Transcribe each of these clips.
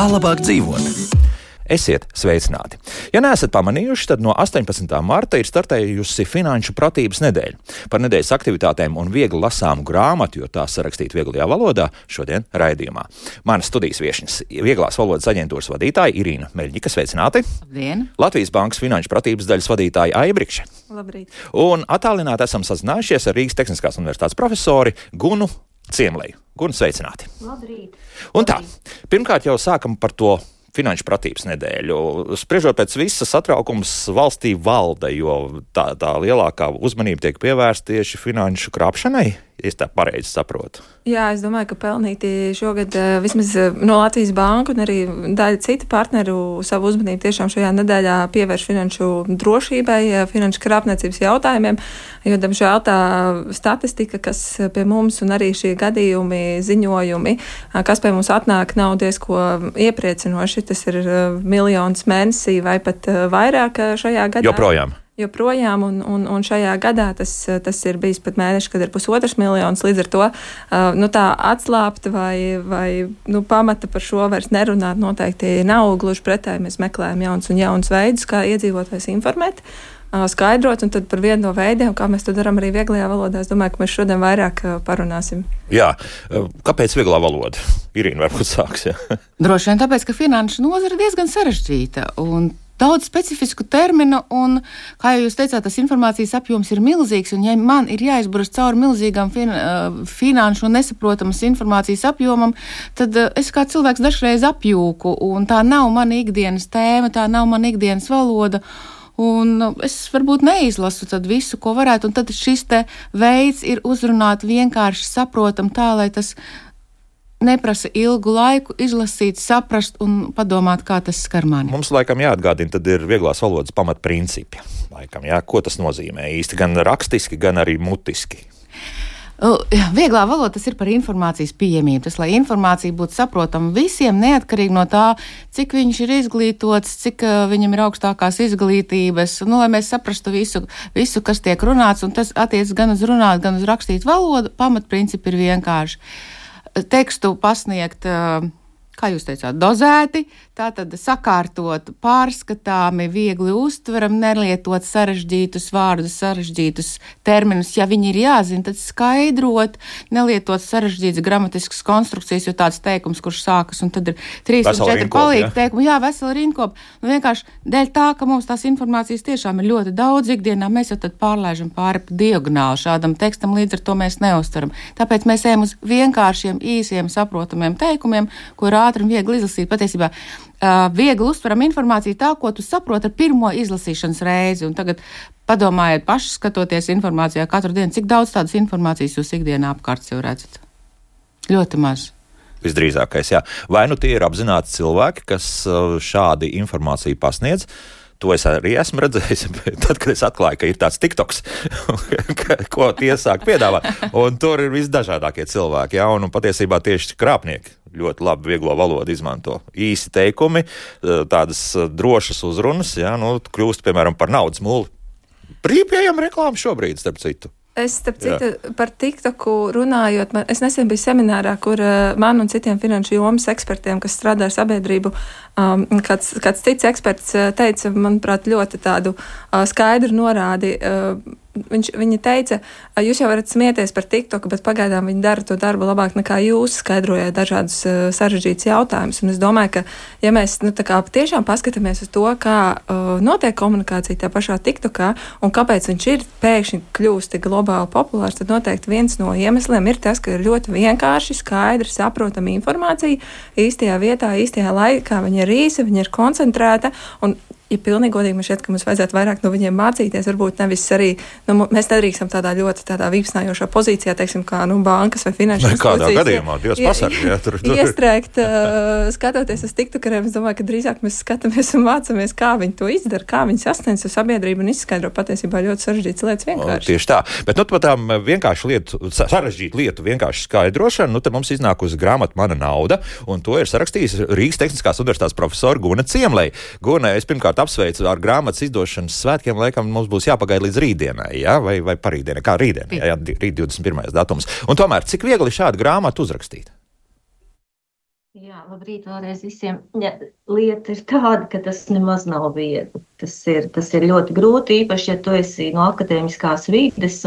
Kā labāk dzīvot? Esiet sveicināti! Ja neesat pamanījuši, tad no 18. marta ir startējusi Finanšu pratības nedēļa. Par nedēļas aktivitātēm un viegli lasāmu grāmatu, jo tā sarakstīta vieglajā valodā, šodien raidījumā. Manas studijas viešņas Vieglās valodas aģentūras vadītāja Irīna Meļņika, sveicināti! Labdien! Latvijas Bankas Finanšu pratības daļas vadītāja Aija Brikše. Labrīt! Un attālināti esam sazinājušies ar Rīgas Tehniskās universitātes profesori Gunu Ciemleju. Gunu, sveicināti! Labrīt! Un tā, pirmkārt jau sākam par to Finanšu pratības nedēļu. Spriežot pēc visas satraukums valstī valda, jo tā lielākā uzmanība tiek pievērsta tieši finanšu krāpšanai. Es tā pareizi saprotu. Jā, es domāju, ka pelnīti šogad vismaz no Latvijas Banka un arī daļa citu partneru savu uzmanību tiešām šajā nedēļā pievērš finanšu drošībai, finanšu krāpniecības jautājumiem, jo, diemžēl, tā statistika, kas pie mums un arī šie gadījumi, ziņojumi, kas pie mums atnāk, nav diezko iepriecinoši. Tas ir miljons mēnesī vai pat vairāk šajā gadā. Joprojām, un šajā gadā tas ir bijis pat mēneši, kad ir 1,5 miljons, līdz ar to tā atslābta vai pamata par šo vairs nerunāt noteikti nav, gluži pretēji mēs meklējam jauns veidus, kā iedzīvotājs informēt, skaidrot, un tad par vienu no veidiem, kā mēs to darām arī vieglajā valodā, es domāju, ka mēs šodien vairāk parunāsim. Jā, kāpēc vieglā valoda? Irīna varbūt sāks, jā. Droši vien tāpēc, ka finanšu nozara ir diezgan sarežģīta, un daudz specifisku terminu, un, kā jūs teicāt, tas informācijas apjoms ir milzīgs, un ja man ir jāizburas cauri milzīgam finanšu un nesaprotamas informācijas apjomam, tad es kā cilvēks dažreiz apjūku, un tā nav mana ikdienas tēma, tā nav mana ikdienas valoda, un es varbūt neizlasu tad visu, ko varētu, un tad šis te veids ir uzrunāt vienkārši saprotam tā, lai tas neprasa ilgu laiku izlasīt, saprast un padomāt, kā tas skar mani. Mums laikam jāatgādina, tad ir vieglās valodas pamatprincipi. Laikam, jā, ko tas nozīmē īsti, gan rakstiski, gan arī mutiski. Vieglā valoda tas ir par informācijas pieejamību. Tas, lai informācija būtu saprotama visiem, neatkarīgi no tā, cik viņš ir izglītots, cik viņam ir augstākās izglītības, lai mēs saprastu visu, kas tiek runāts, un tas attiec gan uz runāt, gan uz rakstīt valodu, pamatprincipi ir vienkārši. Tekstu pasniegt, kā jūs teicāt, dozēti, tātad sakārtot, pārskatāmi, viegli uztveram, nelietot sarežģītus vārdus, sarežģītus terminus. Ja viņi ir jāzina, tad skaidrot, nelietot sarežģītas gramatiskas konstrukcijas, jo tāds teikums, kurš sākas, un tad ir 3 un 4 palīgi teikumi. Jā, vesela rinkopa. Vienkārši dēļ tā, ka mums tās informācijas tiešām ir ļoti daudz ikdienā, mēs jau tad pārlaižam pāri pa diagonāli šādam tekstam, līdz ar to mēs neuztveram. Tāpēc mēs ejam uz vienkāršiem, īsiem, saprotamiem teikumiem, ko ir ātri un viegli izlasīt. Patiesībā viegli uztveram informāciju tā, ko tu saproti ar pirmo izlasīšanas reizi. Un tagad padomājiet paši, skatoties informācijā katru dienu, cik daudz tādas informācijas jūs ikdienā apkārt jau redzat. Ļoti maz. Visdrīzākais, jā. Vai nu tie ir apzināti cilvēki, kas šādi informāciju pasniedz? To es arī esmu redzējis, tad, kad es atklāju, ka ir tāds TikToks, ko tie sāk piedāvāt. Un tur ir visdažādākie cilvēki, jā, un patiesībā tieši krāpnieki ļoti labi vieglo valodu izmanto. Īsi teikumi, tādas drošas uzrunas, jā, kļūst, piemēram, par naudas mūli. Brīvpieejama reklāma šobrīd, starp citu. Es, starp citu, par TikToku runājot, es nesen biju seminārā, kur man un citiem finanšu jomas ekspertiem, kas strādā ar sabiedrību, kāds cits eksperts teica, manuprāt, ļoti tādu skaidru norādi. Viņa teica, jūs jau varat smieties par TikToku, bet pagaidām viņi dara to darbu labāk nekā jūs, skaidrojot dažādus sarežģītus jautājumus. Un es domāju, ka, ja mēs tiešām paskatāmies uz to, kā notiek komunikācija tajā pašā TikTokā un kāpēc viņš ir pēkšņi kļūst tik globāli populārs, tad noteikti viens no iemesliem ir tas, ka ir ļoti vienkārši, skaidri, saprotama informācija īstajā vietā, īstajā laikā. Viņa ir īsa, viņa ir koncentrēta un ja pilnīgi godīgi man šķiet, ka mums vajadzētu vairāk no viņiem mācīties, varbūt nevis arī, mēs nedrīkstam tādā ļoti vīpsnājošā pozīcijā, teiksim, kā bankas vai finanšu institūcijas. Kādā gadījumā, Dievs pasargā, jā, tur. Iestrēgt, skatoties uz TikTokeriem, es domāju, ka drīzāk mēs skatāmies un mācāmies, kā viņi to izdara, kā viņi sasniedz uz sabiedrību un izskaidro patiesībā ļoti sarežģītas lietas vienkārši. Tieši tā, bet par tām sarežģītu lietu vienkārši skaidrošanu, tad mums iznākusi grāmata Mana nauda, un to ir sarakstījis Rīgas Tehniskās universitātes profesora Guna Ciemleja. Guna, es pirmkārt apsveicu ar grāmatas izdošanas svētkiem, laikam mums būs jāpagaida līdz rītdienai, jā, vai parītdienai, kā rītdienai, jā, rīt 21. datums. Un tomēr, cik viegli šādu grāmatu uzrakstīt? Jā, labrīt vēlreiz visiem. Ja, lieta ir tāda, ka tas nemaz nav viegli. Tas ir ļoti grūti, īpaši, ja tu esi no akadēmiskās vides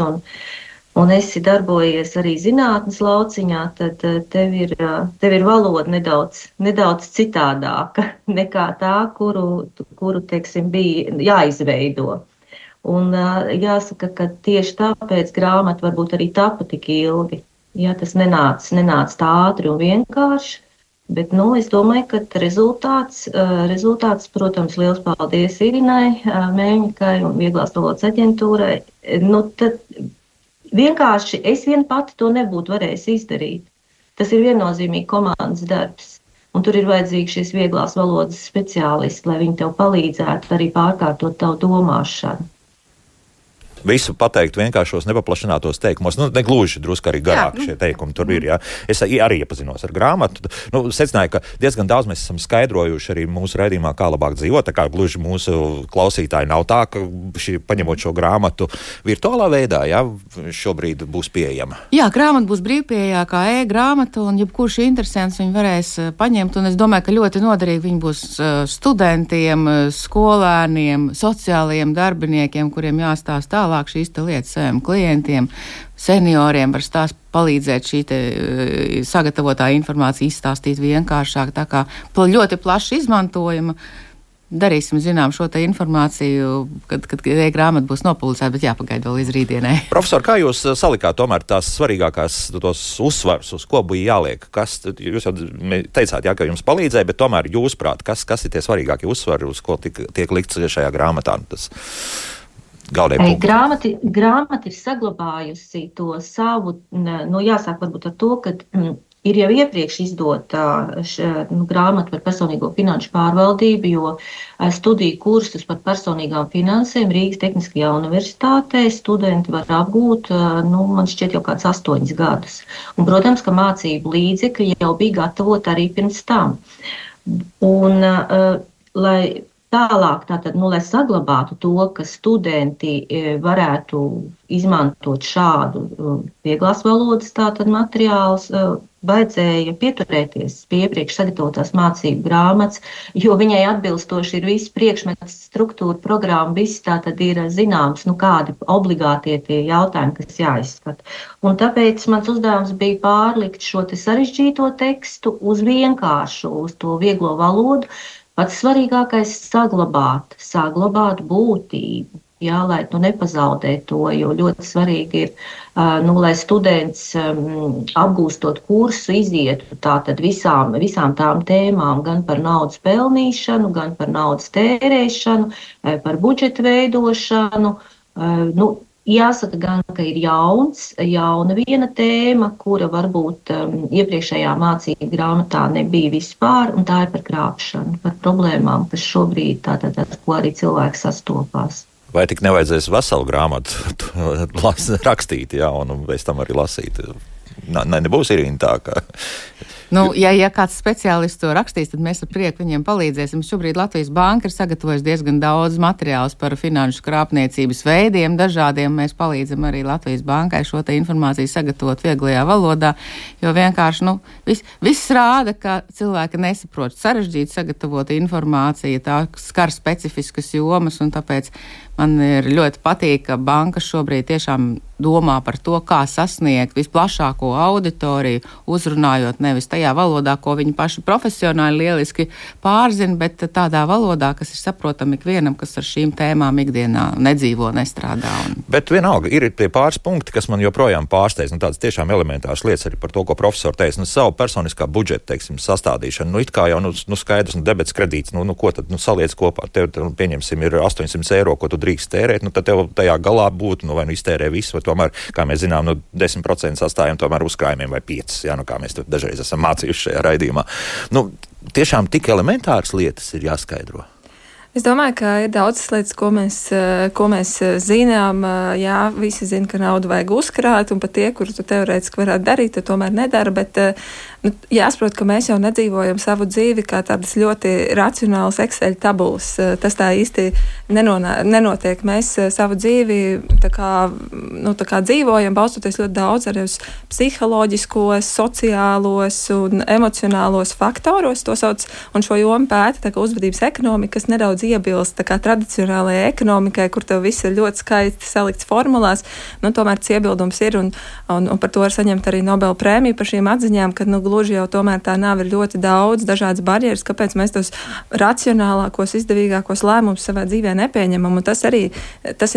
un esi darbojies arī zinātnes lauciņā, tad tev ir valoda nedaudz citādāka nekā tā, kuru teiksim, bija jāizveido. Un jāsaka, ka tieši tāpēc grāmata varbūt arī tapa tik ilgi. Jā, tas nenāca tā ātri un vienkārši, bet, es domāju, ka rezultāts, protams, liels paldies Irinai Mēņikai un Vieglās valodas aģentūrai. Tad vienkārši es vien pati to nebūtu varējusi izdarīt. Tas ir viennozīmīgi komandas darbs. Un tur ir vajadzīgi šīs vieglās valodas speciālisti, lai viņi tev palīdzētu arī pārkārtot tavu domāšanu. Visu pateikt vienkāršos nepaplašinātos teikumos. Negluži drusku arī garāk šie teikumi tur ir. Jā. Es arī iepazinos ar grāmatu. Secināju, ka diezgan daudz mēs esam skaidrojuši arī mūsu raidījumā, kā labāk dzīvot. Tā kā gluži mūsu klausītāji nav tā, ka paņemot šo grāmatu virtuālā veidā, šobrīd būs pieejama. Jā, grāmata būs brīvpieejā kā e-grāmata, un jebkurš interesants viņu varēs paņemt. Un es domāju, ka ļoti noderīgi viņi būs studentiem, skolēniem, sociālajiem darbiniekiem, kuriem jāstāsta tālāk šīs lietas saviem klientiem, senioriem var palīdzēt šī sagatavotā informācija izstāstīt vienkāršāk. Tā kā ļoti plaši izmantojama. Darīsim zinām šo te informāciju, kad e-grāmata būs nopublicēta, bet jāpagaida vēl līdz rītdienai. Profesor, kā jūs salikāt tomēr tās svarīgākās tos uzsvars, uz ko bija jāliek? Jūs jau teicāt, ka jums palīdzēja, bet tomēr jūsprāt, kas ir tie svarīgākie uzsvari, uz ko tiek likts šajā grāmatā? Grāmata ir saglabājusi to savu, jāsāk varbūt ar to, ka ir jau iepriekš izdota grāmata par personīgo finanšu pārvaldību, jo studiju kursus par personīgām finansēm Rīgas Tehniskajā universitātē studenti var apgūt, man šķiet jau kāds 8 gadus. Un, protams, ka mācību līdzekļi jau bija gatavoti arī pirms tam. Un, lai tālāk, lai saglabātu to, ka studenti varētu izmantot šādu vieglās valodas materiālus, vajadzēja pieturēties pie iepriekš sagatavotās mācību grāmatas, jo viņai atbilstoši ir viss priekšmets, struktūra, programma, viss tātad ir zināms, kādi obligātie tie jautājumi, kas jāizskata. Un tāpēc mans uzdevums bija pārlikt šo te sarežģīto tekstu uz vienkāršu, uz to vieglo valodu. Pats svarīgākais - saglabāt būtību, lai nepazaudē to, jo ļoti svarīgi ir, lai students apgūstot kursu izietu tātad visām tām tēmām, gan par naudas pelnīšanu, gan par naudas tērēšanu, par budžeta veidošanu. Jāsaka gan, ka ir jauna viena tēma, kura varbūt iepriekšējā mācību grāmatā nebija vispār, un tā ir par krāpšanu, par problēmām, kas šobrīd tātad, ko arī cilvēki sastopās. Vai tik nevajadzēs veselu grāmatu rakstīt, un pēc tam arī lasīt? Nebūs Irīna tā, ka... Ja kāds speciālists to rakstīs, tad mēs ar prieku viņiem palīdzēsim. Šobrīd Latvijas Banka ir sagatavojusi diezgan daudz materiālus par finanšu krāpniecības veidiem. Dažādiem mēs palīdzam arī Latvijas Bankai šo te informāciju sagatavot vieglajā valodā, jo vienkārši viss rāda, ka cilvēki nesaprot sarežģīt sagatavot informāciju, tā skar specifiskas jomas, un tāpēc man ir ļoti patīk, ka banka šobrīd tiešām domā par to, kā sasniegt visplašāko auditoriju, uzrunājot nevis tajā valodā, ko viņi paši profesionāli lieliski pārzina, bet tādā valodā, kas ir saprotama ikvienam, kas ar šīm tēmām ikdienā nedzīvo, nestrādā. Bet vienalga ir tie pāris punkti, kas man joprojām pārsteidz, tādas tiešām elementāras lietas arī par to, ko profesori teica, savu personiskā budžeta, sastādīšanu, it kā jau, skaidrs, debets kredīts, ko tad, saliec kopā, tev, pieņemsim, ir 800 eiro, ko tu drīkst tērēt, tad tev tajā galā būtu, vai iztērē visu, vai tomēr, kā mēs zinām, 10% sastājam tomēr uzkrājumiem vai 5%, kā mēs dažreiz esam mācījuši šajā raidījumā. Tiešām tik elementāras lietas ir jāskaidro. Es domāju, ka ir daudzas lietas, ko mēs zinām. Jā, visi zina, ka naudu vajag uzkrāt, un pat tie, kurus tu teorētiski varētu darīt, to tomēr nedara, bet jāsaprot, ka mēs jau nedzīvojam savu dzīvi kā tādas ļoti racionālas Excel tabulas. Tas tā īsti nenotiek. Mēs savu dzīvi tā kā dzīvojam, balstoties ļoti daudz arī uz psiholoģiskos, sociālos un emocionālos faktoros, to sauc, un šo jomu pēta tā kā uzvedības ekonomika, kas nedaudz iebilst tā kā tradicionālajai ekonomikai, kur tev viss ir ļoti skaisti salikts formulās, tomēr tas iebildums ir, un par to var saņemt arī Nobela prēmiju par šīm atziņām, ka, gluži jau tomēr tā nav, ir ļoti daudz dažādas barjeras, kāpēc mēs tos racionālākos, izdevīgākos lēmumus savā dzīvē nepieņemam, un tas ir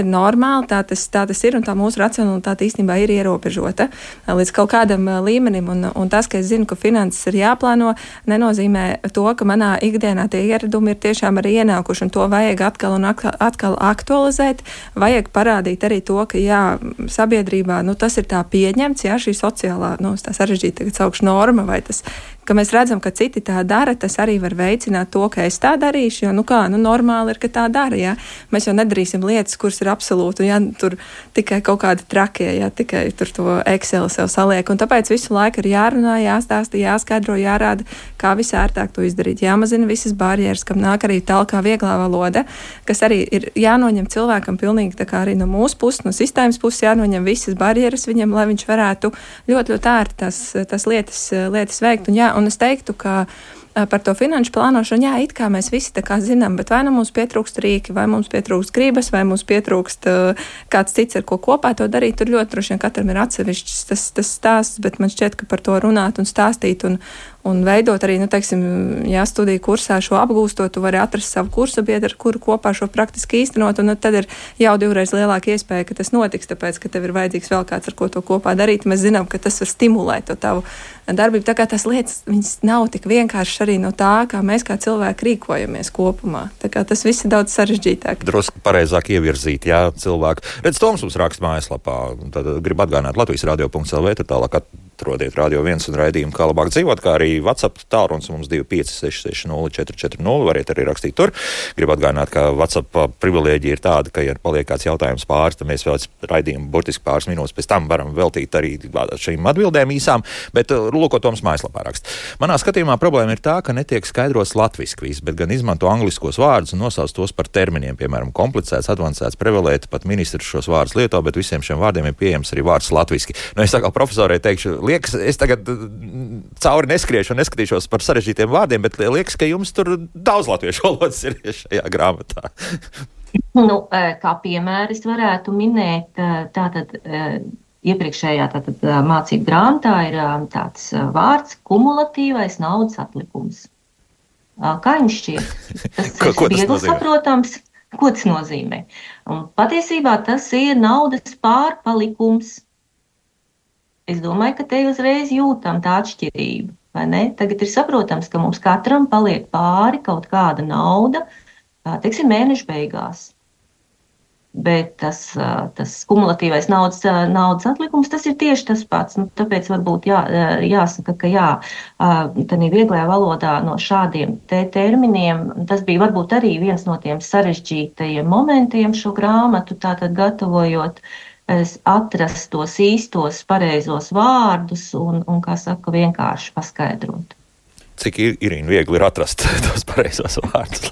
normāli, tā tas ir, un tā mūsu racionalitāte īstenībā ir ierobežota līdz kaut kādam līmenim, un tas, ka es zinu, ka finanses ir jāplāno, nenozīmē to, ka manā ikdienā tie ieradumi ir tiešām arī ienākuši, un to vajag atkal aktualizēt, vajag parādīt arī to, ka jā, sabiedrībā, tas ir tā pieņemts, jā, šī sociālā, tā sarežģīta tagad saukšu norma, vai tas, ka mēs redzam, ka citi tā dara, tas arī var veicināt to, ka es tā darīšu, jo, normāli ir, ka tā dara, jā. Mēs jau nedarīsim lietas, kuras ir absolūti, jā, tur tikai kaut kādi trakie, jā, tikai tur to Excel sev saliek, un tāpēc visu laiku ir jārunā, jāstāsta, jāskaidro, jārāda, kā visērtāk to izdarīt, jāmazina visas barjeras, kam nāk arī tālākā vieglā valoda, kas arī ir jānoņem cilvēkam pilnīgi tā kā arī no mūsu puses, no sistēmas puses jānoņem visas barjeras viņam, lai viņš varētu ļoti, ļoti ērti tās lietas veikt, un es teiktu, ka par to finanšu plānošanu, jā, it kā mēs visi tā kā zinām, bet vai mums pietrūkst rīki, vai mums pietrūkst gribas, vai mums pietrūkst kāds cits, ar ko kopā to darīt, tur ļoti droši vien katram ir atsevišķs tas stāsts, bet man šķiet, ka par to runāt un stāstīt un veidot arī, studiju kursā šo apgūstot, tu vari atrast savu kursa biedru, ar kuru kopā šo praktiski īstenot, un tad ir jau 2 reizes lielāka iespēja, ka tas notiks, tāpēc, ka tev ir vajadzīgs vēl kāds, ar ko to kopā darīt. Mēs zinām, ka tas var stimulēt to tavu darbību. Tā kā tās lietas, viņas nav tik vienkārši arī no tā, kā mēs kā cilvēki rīkojamies kopumā. Tā kā tas viss ir daudz sarežģītāk. Drusku pareizāk ievirzīt, jā, cilvēku. Redz, Toms mums raksta mājaslapā, tad grib atgādināt Latvijas radio.lv, tad tālāk atrodiet Radio 1 un raidījumu, kā labāk dzīvot, kā arī WhatsApp tālrunis mums 25660440, variet arī rakstīt tur. Gribu atgādināt, ka WhatsApp privilēģija ir tāda, ka, ja paliek kāds jautājums pāris, tad mēs vēl raidījumu burtiski pāris minūtes pēc tam varam veltīt arī šīm atbildēm īsām, bet lūko Toms mājaslapā rakst. Manā skatījumā problēma ir tā, ka netiek skaidrots latviski viss, bet gan izmanto angliskos vārdus un nosauc tos par terminiem, piemēram, komplicēts, advancēts, prevalēt, pat ministrs šos vārdus lieto, bet visiem šiem vārdiem ir pieejams arī vārds latviski. Es tā kā profesorai teikšu, liekas, es tagad cauri neskriešu un neskatīšos par sarežģītiem vārdiem, bet liekas, ka jums tur daudz latviešu valodas ir šajā grāmatā. Kā piemēru es varētu minēt, tātad iepriekšējā mācību grāmatā ir tāds vārds kumulatīvais naudas atlikums. Kā jums šķiet? Tas ir viegli saprotams. Ko tas nozīmē? Un patiesībā tas ir naudas pārpalikums. Es domāju, ka te uzreiz jūtam tā atšķirība, vai ne? Tagad ir saprotams, ka mums katram paliek pāri kaut kāda nauda, teiksim, mēneša beigās. Bet tas kumulatīvais naudas atlikums, tas ir tieši tas pats. Tāpēc varbūt jāsaka, ka tādā vieglajā valodā no šādiem terminiem, tas bija varbūt arī viens no tiem sarežģītajiem momentiem šo grāmatu, tātad gatavojot, atrast tos īstos pareizos vārdus un kā saka, vienkārši paskaidrot. Cik Irīna viegli ir atrast tos pareizos vārdus,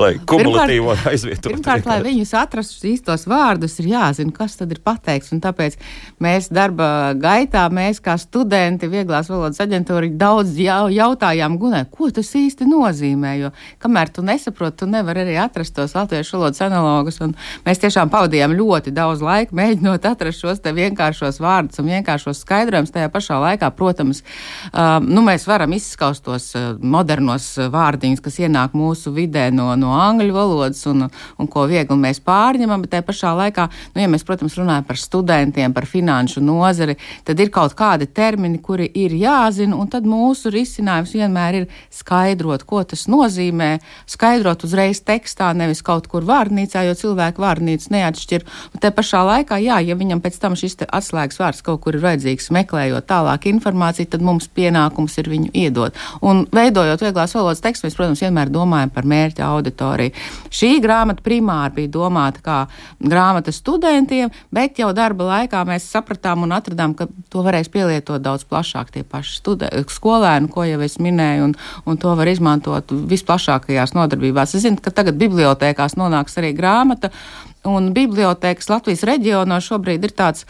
lai kumulatīvo aizvietotu. Pirmkārt, lai viņus atrastu īstos vārdus, ir jāzina, kas tad ir pateikts, un tāpēc mēs darba gaitā, mēs kā studenti Vieglās valodas aģentūra daudz jautājām Gunai, ko tas īsti nozīmē, jo kamēr tu nesaproti, tu nevari arī atrast tos latviešu valodas analogus, un mēs tiešām pavadījām ļoti daudz laika, mēģinot atrast šos te vienkāršos vārdus un vienkāršos skaidrojumus. Tajā pašā laikā, protams, mēs varam izskaust tos modernos vārdiņus, kas ienāk mūsu vidē no angļu valodas un ko viegli mēs pārņemam, bet tajā pašā laikā, ja mēs, protams, runājam par studentiem, par finanšu nozari, tad ir kaut kādi termini, kuri ir jāzina, un tad mūsu risinājums vienmēr ir skaidrot, ko tas nozīmē, skaidrot uzreiz tekstā, nevis kaut kur vārnīcā, jo cilvēku vārnīcas neatšķir. Un tajā pašā laikā, ja viņam pēc tam šis atslēgas vārds kaut kur ir vajadzīgs, meklējot tālāk informāciju, tad mums pienākums ir viņu iedot. Un veidojot vieglās valodas tekstu, mēs, protams, vienmēr domājam par mērķa auditoriju. Šī grāmata primāri bija domāta kā grāmata studentiem, bet jau darba laikā mēs sapratām un atradām, ka to varēs pielietot daudz plašāk tie paši skolēni, ko jau es minēju, un to var izmantot visplašākajās nodarbībās. Es zinu, ka tagad bibliotēkās nonāks arī grāmata, un bibliotēkas Latvijas reģionos šobrīd ir tāds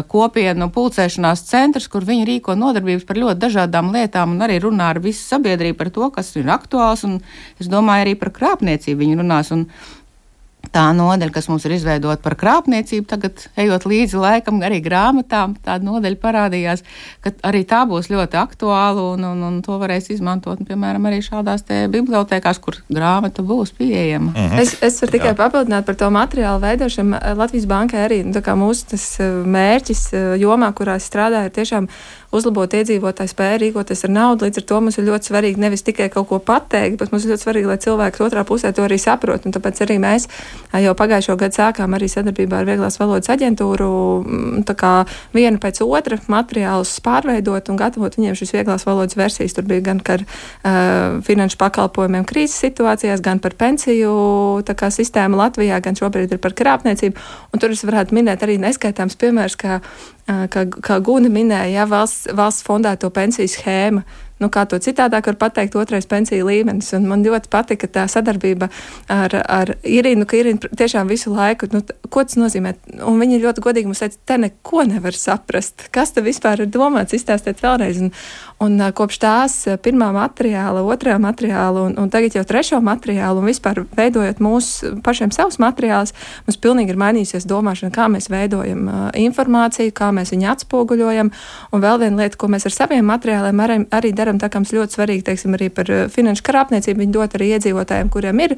kopienu pulcēšanās centrs, kur viņi rīko nodarbības par ļoti dažādām lietām un arī runā ar visu sabiedrību par to, kas ir aktuāls, un es domāju arī par krāpniecību viņi runās, un tā nodaļa, kas mums ir izveidota par krāpniecību, tagad, ejot līdzi laikam, arī grāmatām, tāda nodaļa parādījās, ka arī tā būs ļoti aktuāla un to varēs izmantot, piemēram, arī šādās te bibliotēkās, kur grāmata būs pieejama. Es varu tikai papildināt par to materiālu veidošanu. Latvijas bankai arī, tā kā mūsu tas mērķis jomā, kurā strādāja, ir tiešām uzlabot iedzīvotāju spēju rīkoties ar naudu. Līdz ar to mums ir ļoti svarīgi nevis tikai kaut ko pateikt, bet mums ir ļoti svarīgi, lai cilvēks otrā pusē to arī saprot. Un tāpēc arī mēs jau pagājušo gadu sākām arī sadarbībā ar Vieglās valodas aģentūru tā kā vienu pēc otra materiālus pārveidot un gatavot viņiem šīs vieglās valodas versijas. Tur bija gan par finanšu pakalpojumiem krīzes situācijās, gan par pensiju tā kā sistēmu Latvijā, gan šobrīd ir par krāpniecību. Un tur es varētu minēt arī neskaitāms piemērs, kā Guna minēja, valsts fondēto pensiju schēma. Kā to citādāk var pateikt, otrais pensiju līmenis. Un man ļoti patika tā sadarbība ar Irinu, ka Irina tiešām visu laiku, ko tas nozīmē. Un viņi ļoti godīgi mums teica, te neko nevar saprast. Kas te vispār ir domāts, izstāstiet vēlreiz. Un kopš tās pirmā materiāla, otrā materiāla un tagad jau trešo materiālu un vispār veidojot mūsu pašiem savus materiālus, mums pilnīgi ir mainījusies domāšana, kā mēs veidojam informāciju, kā mēs viņu atspoguļojam. Un vēl viena lieta, ko mēs ar saviem materiāliem arī darām, tā kā mums ļoti svarīgi, teiksim, arī par finanšu krāpniecību, viņi dot arī iedzīvotājiem, kuriem ir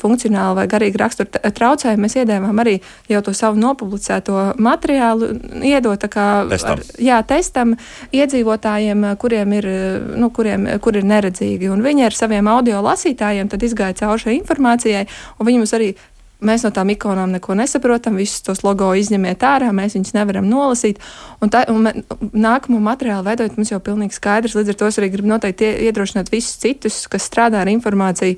funkcionāli vai garīgi rakstura traucējumi. Mēs iedēvām arī jau to savu nopublicēto materiālu, iedot tā kā testam iedzīvotājiem, kuriem ir, kur ir neredzīgi. Un viņi ar saviem audio lasītājiem tad izgāja cauri šai informācijai, un viņi mums arī mēs no tām ikonām neko nesaprotam, visus tos logo izņemiet ārā, mēs viņus nevaram nolasīt. Un nākamo materiālu veidojot mums jau pilnīgi skaidrs, līdz ar to es arī gribu noteikti iedrošināt visus citus, kas strādā ar informāciju,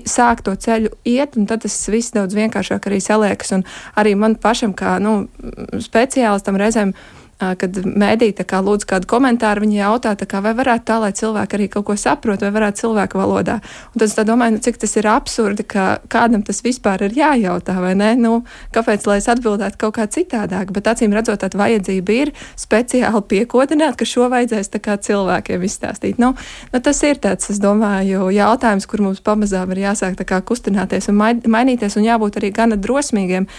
sāk to ceļu iet, un tad tas viss daudz vienkāršāk arī saliekas. Un arī man pašam, kā speciālistam reizēm, kad mēdī lūdz kādu komentāru, viņi jautā, vai varētu tā, lai cilvēki arī kaut ko saprot, vai varētu cilvēku valodā. Un tad es domāju, cik tas ir absurdi, ka kādam tas vispār ir jājautā, vai ne? Kāpēc, lai es atbildētu kaut kā citādāk? Bet acīm redzot, tāda vajadzība ir speciāli piekodināt, ka šo vajadzēs cilvēkiem izstāstīt. Tas ir tāds, es domāju, jautājums, kur mums pamazām ir jāsāk kustināties un mainīties un jābūt arī gana drosmīgiem.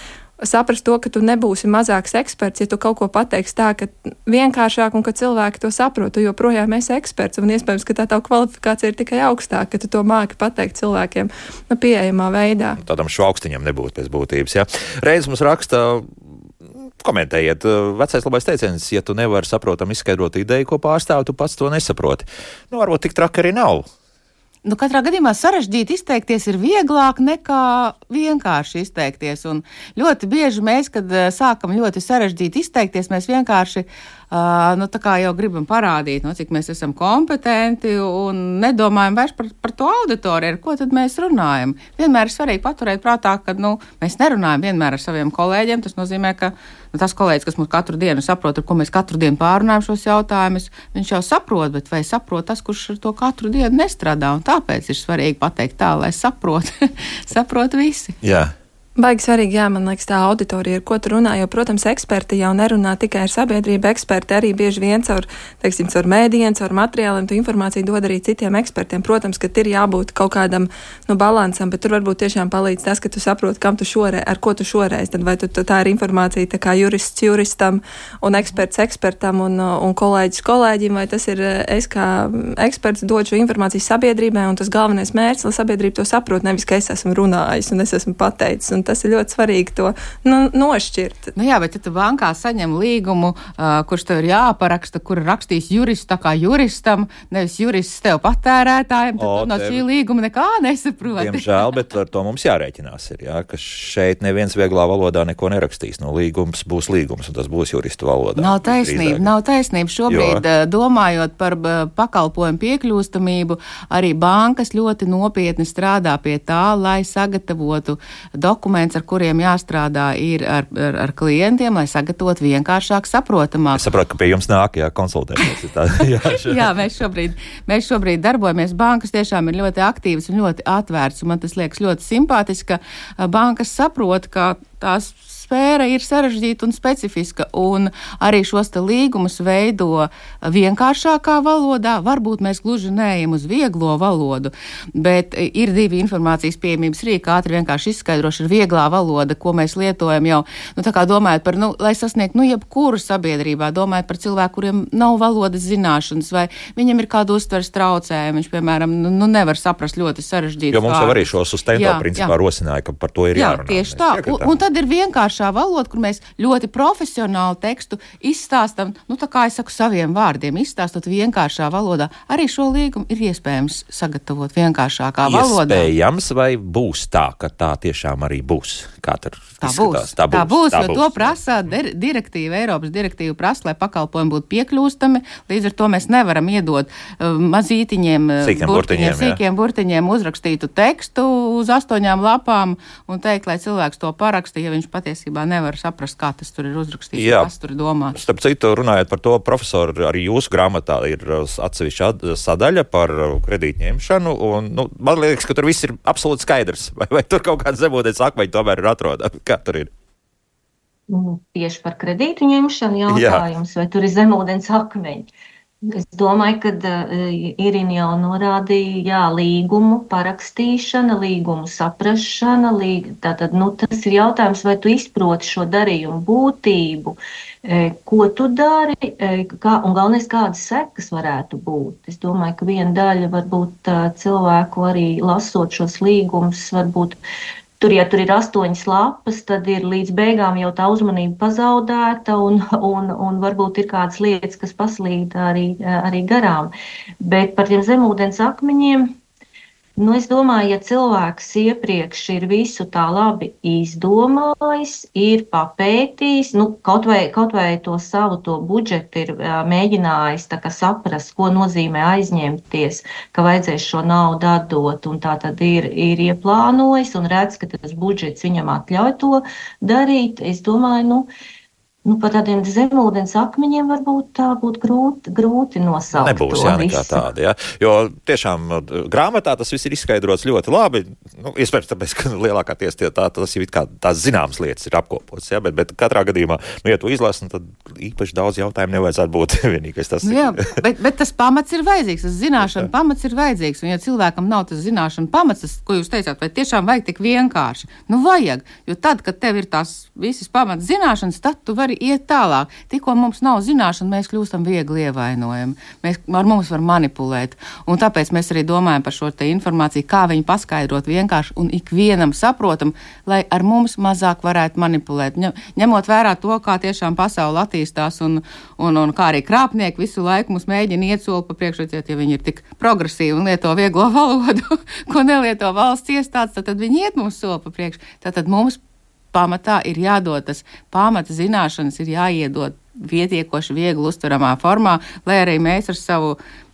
Saprast to, ka tu nebūsi mazāks eksperts, ja tu kaut ko pateiksi tā, ka vienkāršāk un ka cilvēki to saprot, tu joprojām esi eksperts un iespējams, ka tā tava kvalifikācija ir tikai augstāka, ka tu to māki pateikt cilvēkiem pieejamā veidā. Tādam šaukstiņam nebūtu pēc būtības, jā. Reiz mums raksta, komentējiet, vecais labais teiciens, ja tu nevari saprotam izskaidrot ideju, ko pārstāv, tu pats to nesaproti. Varbūt tik traki arī nav. Katrā gadījumā sarežģīti izteikties ir vieglāk nekā vienkārši izteikties. Un ļoti bieži mēs, kad sākam ļoti sarežģīti izteikties, mēs vienkārši tā kā jau gribam parādīt, cik mēs esam kompetenti un nedomājam vairs par to auditoriju, ar ko tad mēs runājam. Vienmēr ir svarīgi paturēt prātā, ka mēs nerunājam vienmēr ar saviem kolēģiem. Tas nozīmē, ka tas kolēģis, kas mums katru dienu saprot, ar ko mēs katru dienu pārunājam šos jautājumus, viņš jau saprot, bet vai saprot tas, kurš ar to katru dienu nestrādā? Un tāpēc ir svarīgi pateikt tā, lai saprot visi. Jā. Baigi svarīgi, jā, man liekas, tā auditorija, ar ko tu runā, jo, protams, eksperti jau nerunā tikai ar sabiedrību, eksperti arī bieži vien caur mēdījiem, caur materiāliem, tu informāciju dod arī citiem ekspertiem. Protams, ka ir jābūt kaut kādam, balansam, bet tur varbūt tiešām palīdz tas, ka tu saproti, ar ko tu šoreiz, tad vai tā ir informācija tā kā jurists juristam un eksperts ekspertam un kolēģis kolēģim, vai tas ir es kā eksperts dod šo informāciju sabiedrībai, un tas galvenais mērķis, lai sabiedrība to saprot, nevis, ka es esmu runājis un es esmu pateicis. Un tas ir ļoti svarīgi to nošķirt. Nu jā, bet ja tu bankā saņem līgumu, kurš tev ir jāparaksta, kur rakstīs jurists tā kā juristam, nevis jurists tev patērētājiem, tad no šī līguma nekā nesaproti. Diemžēl, bet ar to mums jārēķinās ir, jā, ka šeit neviens vieglā valodā neko nerakstīs. No līgums būs līgums, un tas būs juristu valodā. Nav taisnība. Šobrīd, domājot par pakalpojumu piekļūstamību, arī bankas ļoti nopietni strādā pie tā, lai sagatavotu dokumentus, ar kuriem jāstrādā ir ar klientiem, lai sagatavotu vienkāršāk saprotamāk. Es saprotu, ka pie jums nāk, konsultēties. Jā, mēs šobrīd darbojamies. Bankas tiešām ir ļoti aktīvas un ļoti atvērts, un man tas liekas ļoti simpātiski, ka bankas saprot, ka tās sfēra ir sarežģīta un specifiska, un arī šos te līgumus veido vienkāršākā valodā. Varbūt mēs gluži neejam uz vieglo valodu, bet ir divi informācijas pieejamības rīki, ātri vienkārši izskaidroši ir vieglā valoda, ko mēs lietojam jau, tā kā domājot par, lai sasniegtu, jebkuru sabiedrībā, domājot par cilvēku, kuriem nav valodas zināšanas, vai viņam ir kādu uztveres traucējumu, viņš, piemēram, nevar saprast ļoti sarežģītu. Jo mums jau arī šo sustento principā rosināja, ka par to ir jārunā. Jā, tieši tā. Un tad ir vienkāršā valoda, kur mēs ļoti profesionālu tekstu izstāstam, tā kā es saku saviem vārdiem, izstāstot vienkāršā valodā. Arī šo līgumu ir iespējams sagatavot vienkāršākā valodā. Iespējams, vai būs tā, ka tā tiešām arī būs? Kā tur izskatās? Tā būs, jo to prasa direktīva, Eiropas direktīva prasa, lai pakalpojumi būtu piekļūstami. Līdz ar to mēs nevaram iedot mazītiņiem, sīkiem burtiņiem uzrakstītu tekstu uz 8 lapām un teikt, lai cilvēks to paraksta, ja viņš patiesībā nevar saprast, kā tas tur ir uzrakstīts, kas tur ir domāts. Starp citu, runājot par to, profesori, arī jūsu grāmatā ir atsevišķa sadaļa par kredītņemšanu, un man liekas, ka tur viss ir absolūti skaidrs. Vai tur kaut kāds zemūdens akmeņi tomēr ir atrodami? Kā tur ir? Tieši par kredītu ņemšanu jautājums, vai tur ir zemūdens akmeņi? Es domāju, ka Irina jau norādīja, līgumu parakstīšana, līgumu saprašana, tātad, tas ir jautājums, vai tu izproti šo darījumu būtību, ko tu dari, un galvenais, kādas sekas varētu būt. Es domāju, ka viena daļa varbūt cilvēku arī lasot šos līgumus, varbūt ja tur ir 8 lapas, tad ir līdz beigām jau tā uzmanība pazaudēta un varbūt ir kādas lietas, kas paslīd arī garām. Bet par tiem zemūdens akmeņiem, es domāju, ja cilvēks iepriekš ir visu tā labi izdomājis, ir papētījis, kaut vai to savu budžetu ir mēģinājis tā kā saprast, ko nozīmē aizņemties, ka vajadzēs šo naudu atdot, un tā tad ir ieplānojis un redz, ka tas budžets viņam atļauj to darīt. Es domāju, par tādiem zemūdens akmeņiem varbūt tā būtu grūti nosaukt. Nebūs nekā tāda, jo tiešām grāmatā tas viss ir izskaidrots ļoti labi. Iespējams, tāpēc, ka lielākāties tas jau tās zināmas lietas ir apkopots, bet katrā gadījumā, ja tu izlasi, tad īpaši daudz jautājumu nevajadzētu būt vienīgais tas. Bet tas pamats ir vajadzīgs, tas zināšana pamats ir vajadzīgs, un ja cilvēkam nav tas zināšana pamats, tas, ko jūs teicāt, vai tiešām vajag tik vienkārši? Vajag, jo tad, kad tev ir tās visas pamats zināšanas, tad tu vari iet tālāk. Tikko mums nav zināšana, mēs kļūstam viegli ievainojami. Ar mums var manipulēt. Un tāpēc mēs arī domājam par šo te informāciju, kā viņu paskaidrot vienkārši un ikvienam saprotam, lai ar mums mazāk varētu manipulēt. Ņemot vērā to, kā tiešām pasaule attīstās un kā arī krāpnieki visu laiku mums mēģina iet soli pa priekšu, ja viņi ir tik progresīvi un lieto vieglo valodu, ko nelieto valsts iestādes, tad viņi iet mums soli pa priekšu. Tātad mums pamatā ir jādod tas pamata zināšanas, ir jāiedod pietiekoši viegli uztveramā formā, lai arī mēs ar savu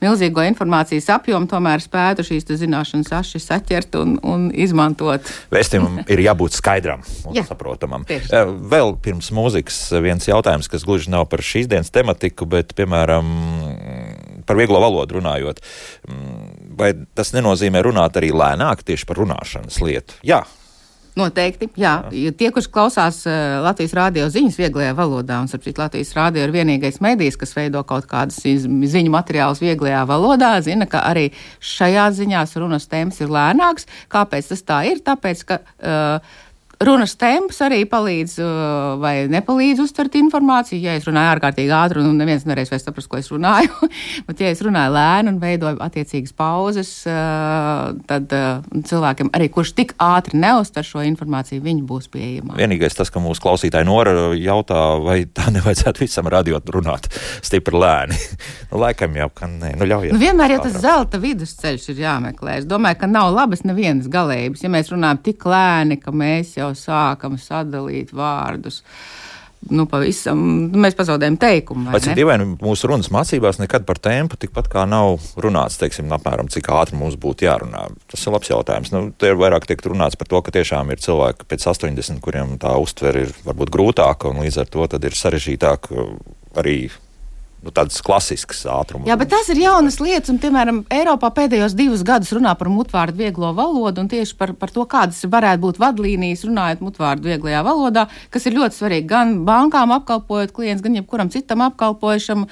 milzīgo informācijas apjomu tomēr spētu šīs zināšanas aši saķert un izmantot. Vēstījumam ir jābūt skaidram un saprotamam. Vēl pirms mūzikas viens jautājums, kas gluži nav par šīs dienas tematiku, bet, piemēram, par vieglo valodu runājot. Vai tas nenozīmē runāt arī lēnāk tieši par runāšanas lietu? Jā. Noteikti, jā. Tie, kurš klausās Latvijas rādio ziņas vieglajā valodā, un saprīt, Latvijas rādio ir vienīgais medijs, kas veido kaut kādas ziņu materiālus vieglajā valodā, zina, ka arī šajā ziņās runas tēmas ir lēnāks. Kāpēc tas tā ir? Tāpēc, ka runas temps arī palīdz vai nepalīdz uztvert informāciju. Ja es runāju ārkārtīgi ātri un neviens nereiz vairs saprast, ko es runāju, bet ja es runāju lēni un veidoju attiecīgas pauzes, tad cilvēkiem arī, kurš tik ātri neuztver šo informāciju, viņi būs pieejamā. Vienīgais tas, ka mūsu klausītāji Nora jautā, vai tā nevajadzētu visam radio runāt stipri lēni. Laikam jau, ka nē, ļaujiet. Vienmēr jau tas zelta vidusceļš ir jāmeklē. Es domāju, ka nav labas nevienas galējības. Ja mēs runājam tik lēni, ka mēs jau sākam sadalīt vārdus, pavisam, mēs pazaudējam teikumu. Vai cik dīvaini mūsu runas mācībās nekad par tempu tikpat kā nav runāts, teiksim, apmēram, cik ātri mums būtu jārunā. Tas ir labs jautājums. Te ir vairāk tiek runāts par to, ka tiešām ir cilvēki pēc 80, kuriem tā uztvere ir varbūt grūtāka, un līdz ar to tad ir sarežģītāk arī tādas klasiskas ātruma. Jā, bet tas ir jaunas lietas, un, piemēram, Eiropā pēdējos 2 gadus runā par mutvārdu vieglo valodu, un tieši par to, kādas varētu būt vadlīnijas runājot mutvārdu vieglajā valodā, kas ir ļoti svarīgi gan bankām apkalpojot klients, gan jebkuram citam apkalpojušam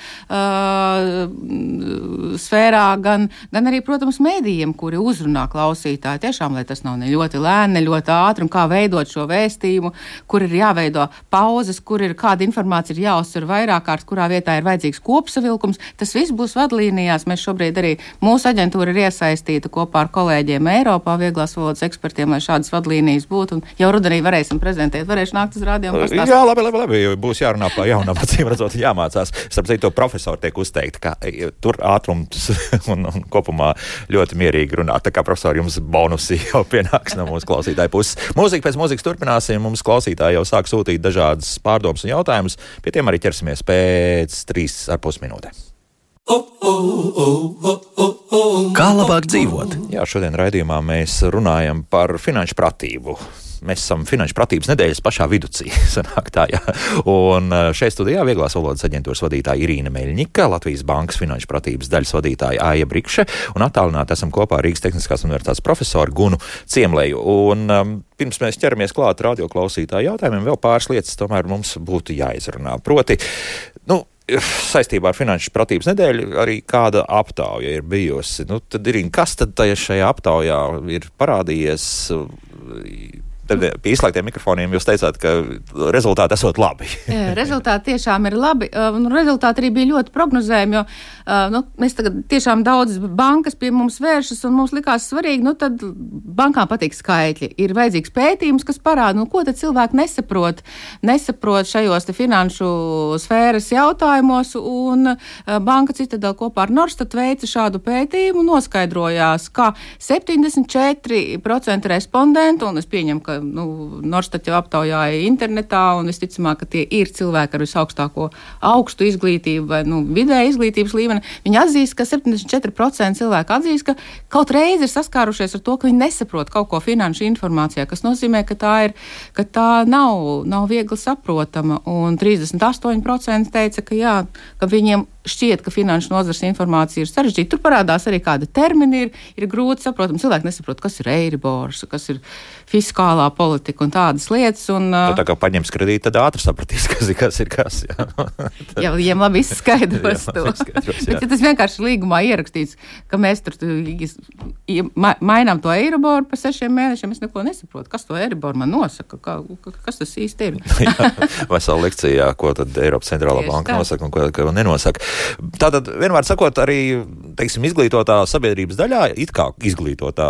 sfērā, gan arī, protams, mēdījiem, kuri uzrunā klausītāji. Tiešām, lai tas nav ne ļoti lēni, ne ļoti ātri, un kā veidot šo vēstījumu, kur ir jāveido pauzes, kur ir kāda informācija ir jāuzsver vairāk kārt, kurā vietā ir vajadzīgs kopsavilkums. Tas viss būs vadlīnijās. Mēs šobrīd arī mūsu aģentūra ir iesaistīta kopā ar kolēģiem Eiropā vieglās valodas ekspertiem, lai šādas vadlīnijas būtu. Un jau rudenī varēsim prezentēt, varēšu nākt uz rādio un pastāstīt. Jā, labi, jo būs jārunā par jaunām acīm redzot, jāmācās. Starp citu, profesori tiek uzteikti, ka tur ātrums un kopumā ļoti mierīgi runāt. Tā kā profesori jums bonusi jau pienāks no mūsu klausītāju puses. Mūzika pēc mūzikas turpināsim. Mums klausītāji jau sāk sūtīt dažādas pārdomas un jautājumus. Pie tiem arī ķersimies pēc 3,5 minūtēm. Kā labāk dzīvot? Jā, šodien raidījumā mēs runājam par finanšu pratību. Mēs esam finanšu pratības nedēļas pašā viducī. Sanāk tā, jā. Un šeit studijā vieglās valodas aģentūras vadītāja Irīna Meļņika, Latvijas Bankas finanšu pratības daļas vadītāja Aija Brikše un attālināti esam kopā Rīgas Tehniskās universitātes profesoru Gunu Ciemleju. Un pirms mēs ķeramies klāt radioklausītāju jautājumiem, vēl pāris lietas tomēr mums būtu jāizrunā. Proti, saistībā ar finanšu pratības nedēļu arī kāda aptauja ir bijusi. Tad, Irīna, kas tad šajā aptaujā ir parādījies? Tad pie izslēgtiem mikrofoniem jūs teicāt, ka rezultāti esot labi. Rezultāti tiešām ir labi. Rezultāti arī bija ļoti prognozējami, jo mēs tagad tiešām daudz bankas pie mums vēršas, un mums likās svarīgi, tad bankām patīk skaitļi. Ir vajadzīgs pētījums, kas parāda, ko tad cilvēki nesaprot šajos te finanšu sfēras jautājumos, un Banka Citadela kopā ar Norstat veica šādu pētījumu, noskaidrojās, ka 74% respondentu, un es pieņemu, ka Norstat jau aptaujāja internetā, un visticamāk, ka tie ir cilvēki ar visaugstāko augstu izglītību vai vidēja izglītības līmeni. Viņi atzīst, ka 74% cilvēku atzīst, ka kaut reizi ir saskārušies ar to, ka viņi nesaprot kaut ko finanšu informācijā, kas nozīmē, ka tā nav viegli saprotama, un 38% teica, ka viņiem šķiet, ka finanšu nozares informācija ir sarežģīta. Tur parādās arī kāda termini ir grūti saprotama. Cilvēki nesaprot, kas ir Eiribors, kas ir fiskālā politika un tādas lietas. Tā kā paņems kredīti, tad ātri sapratīs, kas ir kas. Jā, viņiem labi izskaidros to. Bet ja tas vienkārši līgumā ierakstīts, ka mēs tur mainām to Eiriboru pa 6 mēnešiem, es neko nesaprotu. Kas to Eiriboru man nosaka? Kas tas īsti ir? Vesela lekcijā, ko tad Eiropas centrālā banka nosaka un ko nenosaka. Tātad, vienmēr sakot, arī, teiksim, izglītotā sabiedrības daļā, it kā izglītotā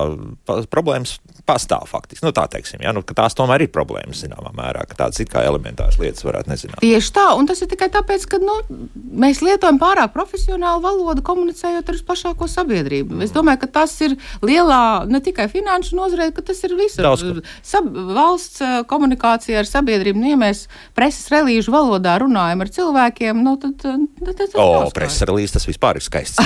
problēmas pastāv faktiski. Tā teiksim, ka tās tomēr ir problēmas, zināmā mērā, ka tādas it kā elementāras lietas varētu nezināt. Tieši tā, un tas ir tikai tāpēc, ka, mēs lietojam pārāk profesionālu valodu, komunicējot ar plašāko sabiedrību. Es domāju, ka tas ir lielā, ne tikai finanšu nozarē, ka tas ir visur. Valsts komunikācija ar sabiedrību, ja mēs preses relīžu valodā runājam ar cilvēkiem, tad preses relīze, tas vispār ir skaists.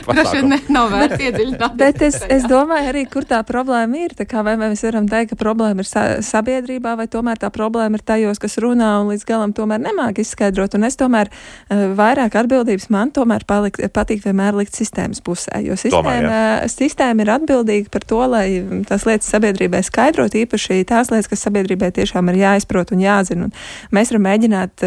Droši vien nav vērts iedziļināt. Bet es domāju arī, kur tā problēma ir. Tā kā vai mēs varam teikt, ka problēma ir sabiedrībā, vai tomēr tā problēma ir tajos, kas runā un līdz galam tomēr nemāk izskaidrot. Un es tomēr vairāk atbildības man tomēr patīk vienmēr likt sistēmas pusē, jo sistēma ir atbildīga par to, lai tās lietas sabiedrībai skaidrot, īpaši tās lietas, kas sabiedrībai tiešām ir jāizprot un jāzina. Un mēs varam mēģināt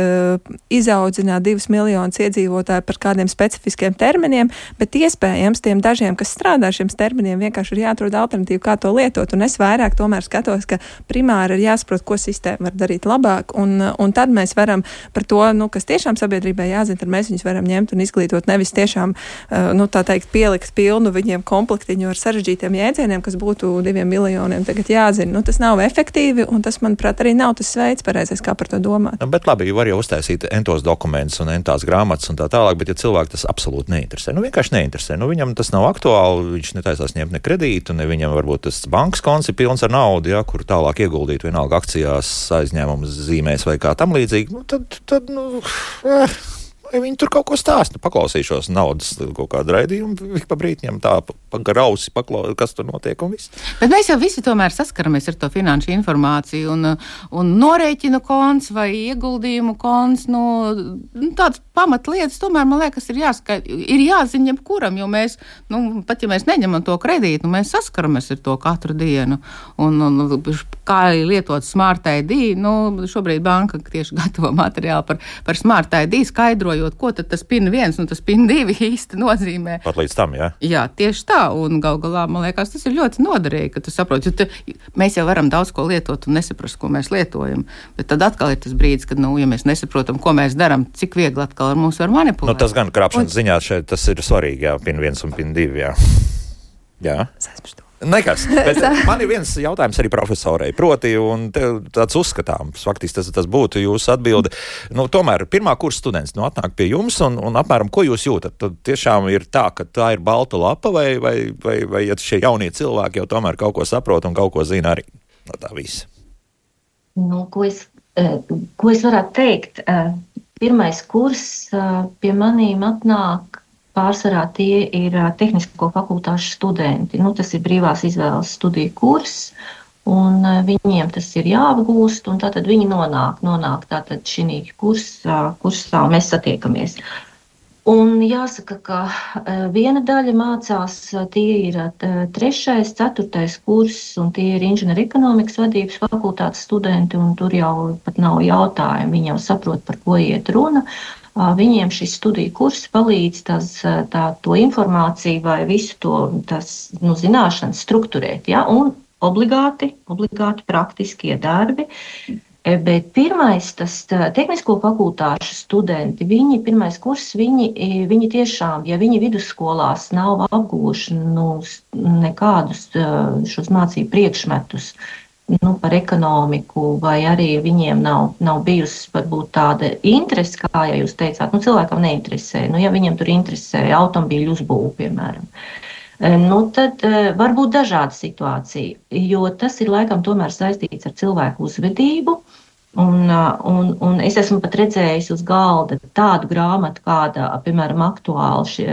izaudzināt 2 miljonus iedzīvotāju par kādiem specifiskiem terminiem, bet iespējams tiem dažiem, kas strādā šiem terminiem, vienkārši ir jāatrod alternatīva, kā to lietot. Un es vairāk tomēr skatos, ka primāri ir jāsaprot, ko sistēma var darīt labāk, un tad mēs varam par to, kas tiešām sabiedrībai jāzina, tad mēs viņus varam ņemt un izglītot, nevis tiešām, tā teikt, pielikt pilnu viņiem komplektiņu ar sarežģītiem jēdzieniem, kas būtu 2 miljoniem tagad jāzina. Tas nav efektīvi, un tas, manuprāt, arī nav tas veids pareizais, kā par to domāt. Bet labi, var jau uztaisīt entos dokumentus un entās grāmatas un tā tālāk, bet ja cilvēku tas absolūti neinteresē, vienkārši neinteresē, viņam tas nav aktuāli, viņš netaisās ņemt ne kredītu, ne viņam varbūt tas bankas konts ir pilns ar naudu, kur tālāk ieguldīt vienalga akcijās, aizņēmumus zīmēs vai kā tam līdzīgi, tad viņi tur kaut ko stāsta, paklausīšos naudas kaut kādu raidījumu, pa brītņiem tā grausi kas tur notiek un viss. Bet mēs jau visi tomēr saskaramies ar to finanšu informāciju un norēķinu konts vai ieguldījumu konts, tādas pamatlietas tomēr, man liekas, ir jāziņa jebkuram, jo mēs, pat ja mēs neņemam to kredītu, mēs saskaramies ar to katru dienu. Un kā lietot Smart ID, šobrīd banka tieši gatavo materiālu par Smart ID, skaidrojot, ko tad tas PIN 1 un tas PIN 2 īsti nozīmē. Pat līdz tam, jā? Jā, tieši tā, un gal galā, man liekas, tas ir ļoti noderīgi, ka tu saproti, jo mēs jau varam daudz ko lietot un nesaprast, ko mēs lietojam, bet tad atkal ir tas brīdis, kad, ja mēs nesaprotam, ko mēs daram, cik viegli atkal ar mums var manipulēt. Tas gan krāpšanas ziņā šeit tas ir svarīgi, jā, PIN 1 un PIN 2, jā. Jā. Nekas, bet man ir viens jautājums arī profesorei, proti, un tāds uzskatāms, faktiski tas būtu jūsu atbilde. Tomēr pirmā kursa students atnāk pie jums un apmēram, ko jūs jūtat? Tad tiešām ir tā, ka tā ir balta lapa vai ja šie jaunie cilvēki jau tomēr kaut ko saprot un kaut ko zina arī no tā visa? Ko es varētu teikt? Pirmais kurs pie manīm atnāk. Pārsvarā tie ir tehnisko fakultāšu studenti. Tas ir brīvās izvēles studiju kurs, un viņiem tas ir jāapgūst, un tātad viņi nonāk tātad šī kursā, mēs satiekamies. Un jāsaka, ka viena daļa mācās, tie ir 3., 4. kurs, un tie ir inženierekonomikas vadības fakultātes studenti, un tur jau pat nav jautājumu, viņi jau saprot, par ko iet runa. Viņiem šis studiju kurs palīdz to informāciju vai visu to zināšanas strukturēt, ja? Un obligāti praktiskie darbi. Bet pirmais, tas tehnisko fakultāšu studenti, pirmais kurs, viņi tiešām, ja viņi vidusskolās nav apguvuši nekādus šos mācību priekšmetus, par ekonomiku, vai arī viņiem nav bijusi varbūt tāda interese, kā ja jūs teicāt, cilvēkam neinteresē, ja viņiem tur interesē automobīļu uzbūve, piemēram. Tad var būt dažāda situācija, jo tas ir laikam tomēr saistīts ar cilvēku uzvedību, un es esmu pat redzējis uz galda tādu grāmatu, kāda, piemēram, aktuāli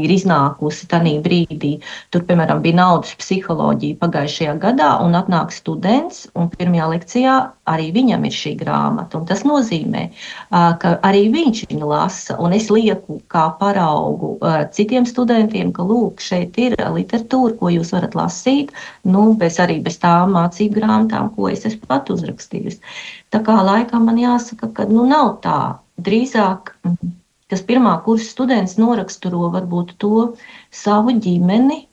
ir iznākusi tanī brīdī. Tur, piemēram, bija naudas psiholoģija pagājušajā gadā, un atnāk students, un pirmajā lekcijā arī viņam ir šī grāmata. Un tas nozīmē, ka arī viņš viņu lasa, un es lieku kā paraugu citiem studentiem, ka, lūk, šeit ir literatūra, ko jūs varat lasīt, arī bez tām mācību grāmatām, ko es esmu pat uzrakstījusi. Tā kā laikam man jāsaka, ka nav tā. Drīzāk, kas pirmā kursa students noraksturo varbūt to savu ģimeni,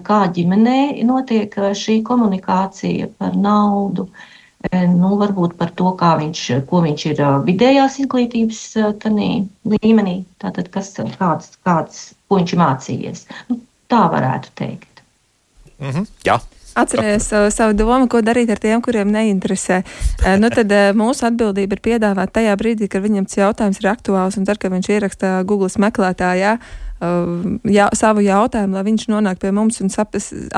kā ģimenē notiek šī komunikācija par naudu, varbūt par to, ko viņš ir vidējās izglītības līmenī, tātad ko viņš ir mācījies. Tā varētu teikt. Jā. Atcerējies savu domu, ko darīt ar tiem, kuriem neinteresē. Tad mūsu atbildība ir piedāvāt tajā brīdī, kad viņam tas jautājums ir aktuāls, un tad, kad viņš ieraksta Google meklētājā savu jautājumu, lai viņš nonāk pie mums un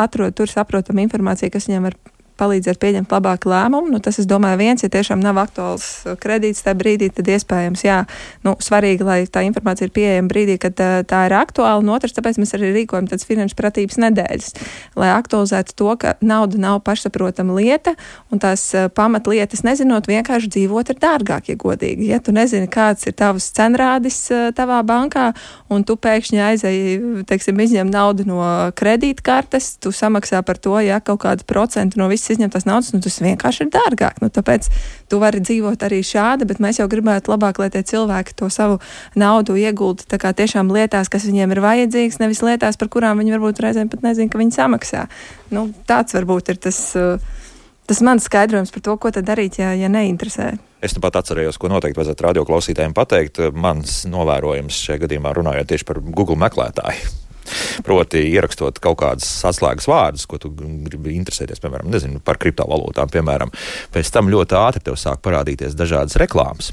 atrod tur saprotamu informāciju, kas viņam var palīdzēt pieņemt labāku lēmumu. Nu, tas, es domāju, viens, ja tiešām nav aktuāls kredīts tajā brīdī, tad iespējams, jā, svarīgi, lai tā informācija ir pieejama brīdī, kad tā ir aktuāla. Un otrs, tāpēc mēs arī rīkojam tādas finanšu pratības nedēļas, lai aktualizētu to, ka nauda nav pašsaprotama lieta, un tās pamatlietas nezinot, vienkārši dzīvot ir dārgāk, ja godīgi. Ja tu nezini, kāds ir tavs cenrādis tavā bankā, un tu pēkšņi aizēji, teiksim, izņem naudu no kredītkartes, tu samaksā par to, ja kaut kādu procentu no visas izņemtās naudas, tas vienkārši ir dārgāk. Tāpēc tu vari dzīvot arī šādi, bet mēs jau gribētu labāk, lai tie cilvēki to savu naudu iegulda tā kā tiešām lietās, kas viņiem ir vajadzīgs, nevis lietās, par kurām viņi varbūt reizēm pat nezin, ka viņi samaksā. Tāds varbūt ir tas mans skaidrojums par to, ko tad darīt, ja neinteresē. Es pat atcerējos, ko noteikti vajadzētu radioklausītājiem pateikt. Mans novērojums šajā gadījumā runājot tieši par Google meklētāju. Proti, ierakstot kaut kādas atslēgas vārdus, ko tu gribi interesēties, piemēram, par kriptovalūtām, piemēram. Pēc tam ļoti ātri tev sāk parādīties dažādas reklāmas.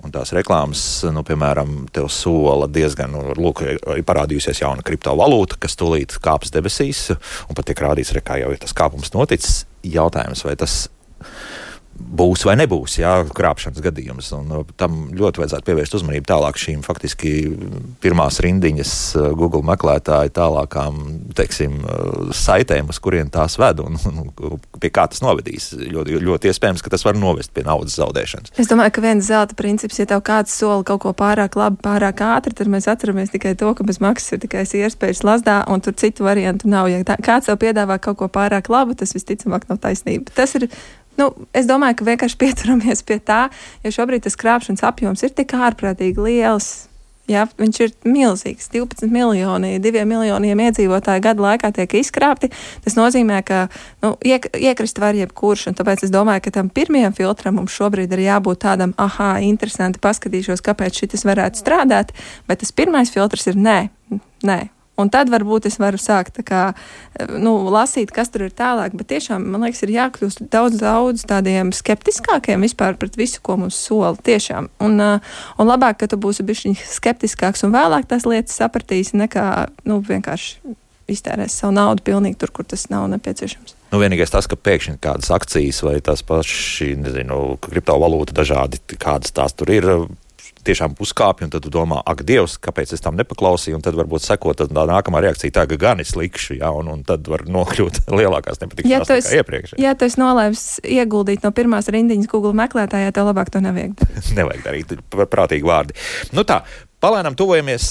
Un tās reklāmas, piemēram, tev sola diezgan, ir parādījusies jauna kriptovalūta, kas tūlīt kāps debesīs, un pat tiek rādīts, kā jau ir tas kāpums noticis. Jautājums, vai tas būs vai nebūs, krāpšanas gadījums. Un tam ļoti vajadzētu pievērst uzmanību tālāk šīm faktiski pirmās rindiņas Google meklētāju tālākām, teiksim, saitēm, uz kurien tās ved un pie kā tas novedīs. Ļoti, ļoti iespējams, ka tas var novest pie naudas zaudēšanas. Es domāju, ka viens zelta princips, ja tev kāds sola kaut ko pārāk labi, pārāk ātri, tad mēs atceramies tikai to, ka bez maksas ir tikai iespējas lazdā, un tur citu variantu nav. Ja kāds tev piedāvā kaut ko pārāk labu, tas visticamāk nav taisnība. Tas ir es domāju, ka vienkārši pieturamies pie tā, jo šobrīd tas krāpšanas apjoms ir tik ārprātīgi liels. Jā, viņš ir milzīgs. 12 miljoni, 2 miljoniem iedzīvotāju gadu laikā tiek izkrāpti. Tas nozīmē, ka iekrist var jebkurš, un tāpēc es domāju, ka tam pirmajam filtram mums šobrīd ir jābūt tādam, interesanti, paskatīšos, kāpēc šitas varētu strādāt, bet tas pirmais filtrs ir nē. Un tad varbūt es varu sākt lasīt, kas tur ir tālāk, bet tiešām, man liekas, ir jākļūst daudz tādiem skeptiskākiem vispār pret visu, ko mums sola. Tiešām. Un labāk, ka tu būsi bišķiņ skeptiskāks un vēlāk tās lietas sapratīsi, nekā vienkārši iztērēs savu naudu pilnīgi tur, kur tas nav nepieciešams. Vienīgais tas, ka pēkšņi kādas akcijas vai tās paši, kriptovalūta dažādi, kādas tās tur ir, tiešām uzkāpj, un tad tu domā, ak, Dievs, kāpēc es tam nepaklausīju, un tad varbūt sekot tā nākamā reakcija tā, ka gan es likšu, un tad var nokļūt lielākās nepatikšanās nekā iepriekš. Ja tu esi nolēmis ieguldīt no pirmās rindiņas Google meklētājā, tev labāk to nevajag darīt. Nevajag darīt, prātīgi vārdi. Tā. Palēnām tuvojamies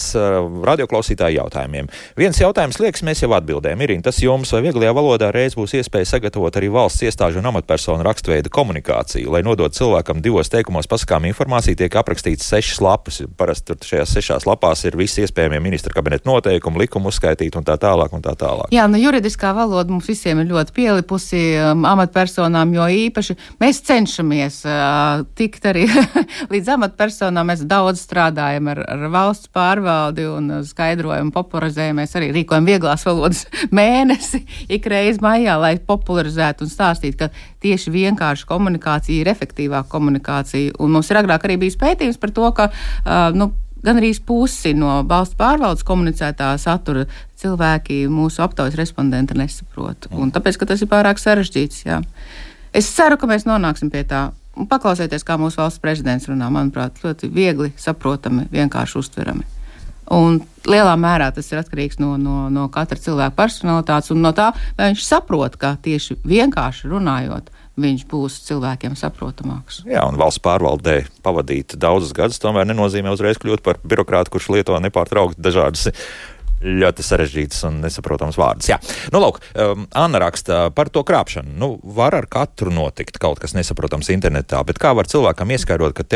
radioklausītāju jautājumiem. Viens jautājums liekas, mēs jau atbildējam. Irīna, tas jums vai vieglajā valodā reiz būs iespēja sagatavot arī valsts iestāžu un amatpersonu rakstveida komunikāciju, lai nodot cilvēkam 2 teikumos pasakām informāciju, tiek aprakstīts 6 lapas. Parasti tur šajās 6 lapās ir visi iespējamie ministra kabineta noteikumi, likumi uzskaitīti un tā tālāk un tā tālāk. Jā, juridiskā valoda mums visiem ir ļoti pielipusi, amatpersonām jo īpaši. Mēs cenšamies tikt arī līdz amatpersonām. Mēs daudz strādājam ar valsts pārvaldi un skaidrojumu popularizējumu. Mēs arī rīkojam vieglās valodas mēnesi ikreiz maijā, lai popularizētu un stāstītu, ka tieši vienkārši komunikācija ir efektīvāka komunikācija. Un mums ir agrāk arī bijis pētījums par to, ka gan arī pusi no valsts pārvaldes komunicētā satura cilvēki mūsu aptaujas respondenti nesaprot. Un tāpēc, ka tas ir pārāk sarežģīts, jā. Es ceru, ka mēs nonāksim pie tā. Paklausieties, kā mūsu valsts prezidents runā, manuprāt, ļoti viegli saprotami, vienkārši uztverami. Un lielā mērā tas ir atkarīgs no katra cilvēka personalitātes un no tā, vai viņš saprot, ka tieši vienkārši runājot, viņš būs cilvēkiem saprotamāks. Jā, un valsts pārvaldē pavadīt daudzus gadus tomēr nenozīmē uzreiz kļūt par birokrātu, kurš lieto nepārtraukti dažādas ļoti sarežģītas un nesaprotams vārdas. Jā, lūk, Anna raksta par to krāpšanu. Var ar katru notikt kaut kas nesaprotams internetā, bet kā var cilvēkam ieskaidrot, ka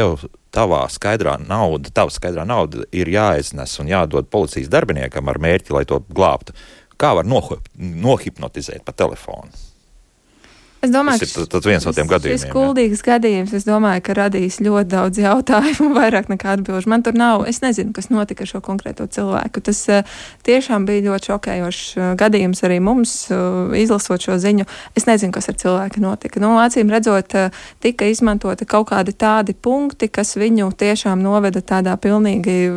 tava skaidrā nauda ir jāiznes un jādod policijas darbiniekam ar mērķi, lai to glābtu? Kā var nohipnotizēt pa telefonu? Es domāju, tas ir viens no tiem gadījumiem. Šis kuldīgs gadījums, es domāju, ka radīs ļoti daudz jautājumu, vairāk nekā atbilžu. Man tur nav, es nezinu, kas notika ar šo konkrēto cilvēku. Tas tiešām bija ļoti šokējošs gadījums arī mums, izlasot šo ziņu. Es nezinu, kas ar cilvēku notika. Acīm redzot, tika izmantota kaut kādi tādi punkti, kas viņu tiešām noveda tādā pilnīgi